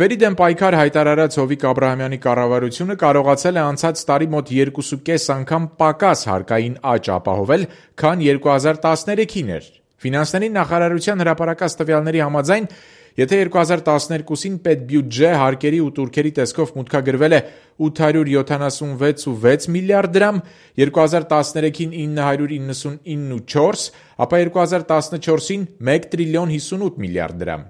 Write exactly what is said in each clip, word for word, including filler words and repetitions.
Ստվերի դեմ պայքար հայտարարած Հովիկ Աբրահամյանի կառավարությունը կարողացել է անցած տարի մոտ երկուսուկես անգամ պակաս հարկային աճ ապահովել, քան երկու հազար տասներեքին էր։ Ֆինանսների նախարարության հրապարակած տվյալների համաձայն, եթե երկու հազար տասներկուսին պետբյուջե հարկերի ու տուրքերի տեսքով մուտքագրվել է ութ հարյուր յոթանասունվեց կόμμα վեց միլիարդ դրամ, երկու հազար տասներեքին ինը հարյուր իննսունինը կόμma չորս, ապա երկու հազար տասնչորսին մեկ տրիլիոն հիսունութ միլիարդ դրամ։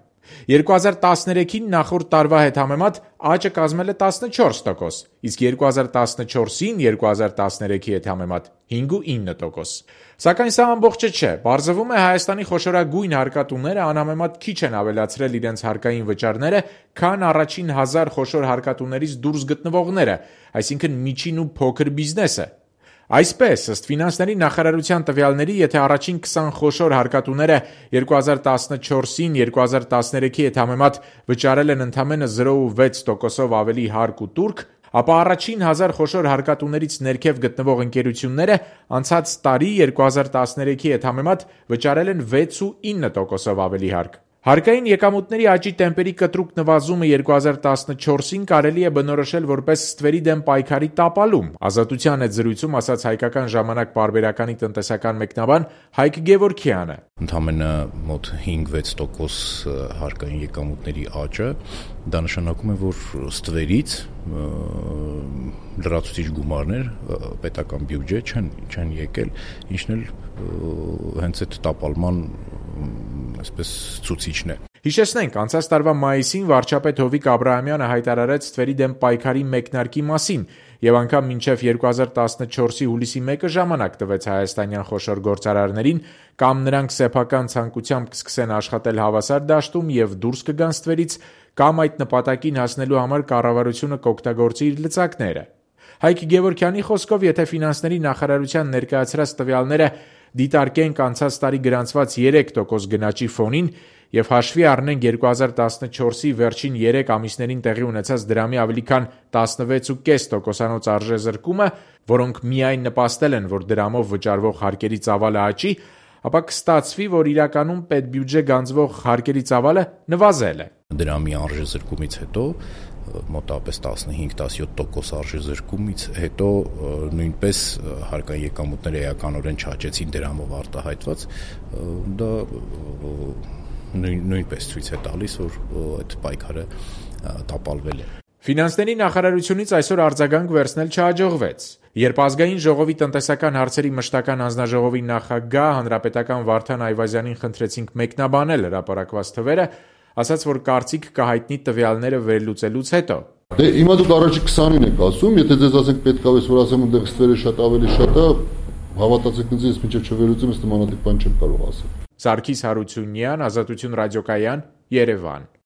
երկու հազար տասներեքին նախորդ տարվա հետ համեմատ աճը կազմել է տասնչորս տոկոս, իսկ երկու հազար տասնչորսին երկու հազար տասներեքի հետ համեմատ հինգ կόμma ինը տոկոս։ Սակայն սա ամբողջը չէ, պարզվում է Հայաստանի խոշորագույն հարկատուները անհամեմատ քիչ են ավելացրել իրենց հարկային վճարները, քան առաջին հազար խոշոր հարկատուներից դուրս գտնվողները, այսինքն միջին ու փոքր բիզնեսը։ Այսպես, ըստ ֆինանսների նախարարության տվյալների, եթե առաջին քսան խոշոր հարկատուները երկու հազար տասնչորսին երկու հազար տասներեքի հետ համեմատ վճարել են ընդամենը զրո կόμma վեց տոկոսով ավելի հարկ ու տուրք, ապա առաջին հազար խոշոր հարկատուներից ներքև գտնվող ընկերությունները անցած տարի երկու հազար տասներեքի հետ համեմատ վճարել են վեց կόμma ինը տոկոսով ավելի հարկ։ Հարկային եկամուտների աճի տեմպերի կտրուկ նվազումը երկու հազար տասնչորսին կարելի է բնորոշել որպես ստվերի դեմ պայքարի տապալում, Ազատության հետ զրույցում ասաց Հայկական ժամանակ պարբերականի տնտեսական մեկնաբան Հայկ Գևորգյանը։ Ընդամենը մոտ հինգ-վեց տոկոս հարկային եկամուտների աճը, դա նշանակում է, որ ստվերից լրացուցիչ գումարներ պետական բյուջե չեն, չեն եկել, ինչն էլ հենց այդ տապալման այսպես ցուցիչն է։ Հիշեցնենք, անցած տարվա մայիսին վարչապետ Հովիկ Աբրահամյանը հայտարարեց ստվերի դեմ պայքարի մեկնարկի մասին եւ անգամ մինչեւ երկու հազար տասնչորսի հուլիսի մեկը ժամանակ տվեց հայաստանյան խոշոր գործարարներին, կամ նրանք սեփական ցանկությամբ կսկսեն աշխատել հավասար դաշտում եւ դուրս կգան ստվերից, կամ այդ նպատակին հասնելու համար կառավարությունը կօգտագործի իր լծակները։ Հայկ Գևորգյանի խոսքով, եթե ֆինանսների նախարարության ներկայացրած տվյալները դիտարկենք անցած տարի գրանցված երեք տոկոս գնաճի ֆոնին եւ հաշվի առնենք երկու հազար տասնչորսի վերջին երեք ամիսներին տեղի ունեցած դրամի ավելի քան տասնվեց կόμμα պենս տոկոսանոց արժեզրկումը, որոնք միայն նպաստել են, որ դրամով վճարվող հարկերի ծավալը աճի, ապա կստացվի, որ իրականում պետբյուջե գանձվող հարկերի ծավալը նվազել է։ Դրամի արժեզրկումից հետո մոտավորապես տասնհինգ տասնյոթ տոկոս արժեզրկումից հետո նույնպես հարկային եկամուտները էականորեն չաճեցին դրամով արտահայտված, դա նույն, նույնպես ցույց է տալիս, որ այդ պայքարը տապալվել է։ Ֆինանսների նախարարությունից այսօր արձագանք վերցնել չհաջողվեց։ Երբ ազգային ժողովի տնտեսական հարցերի մշտական հանձնաժողովի նախագահ հանրապետական Վարդան Այվազյանին խնդրեցինք մեկնաբանել հրապարակված թվերը, ասաց, որ կարծիք կհայտնի տվյալները վերլուծելուց հետո։ Դե հիմա դուք առաջի քսանին եք ասում, եթե ձեզ ասենք պետք է որ ասեմ այնտեղ ստվերը շատ ավելի շատ է, հավատացեք ինձ, ես մինչև չվերլուծեմ, ըստ նմանատիպ բան չեմ կարող ասել։ Սարգիս Հարությունյան, Ազատություն ռադիոկայան, Երևան։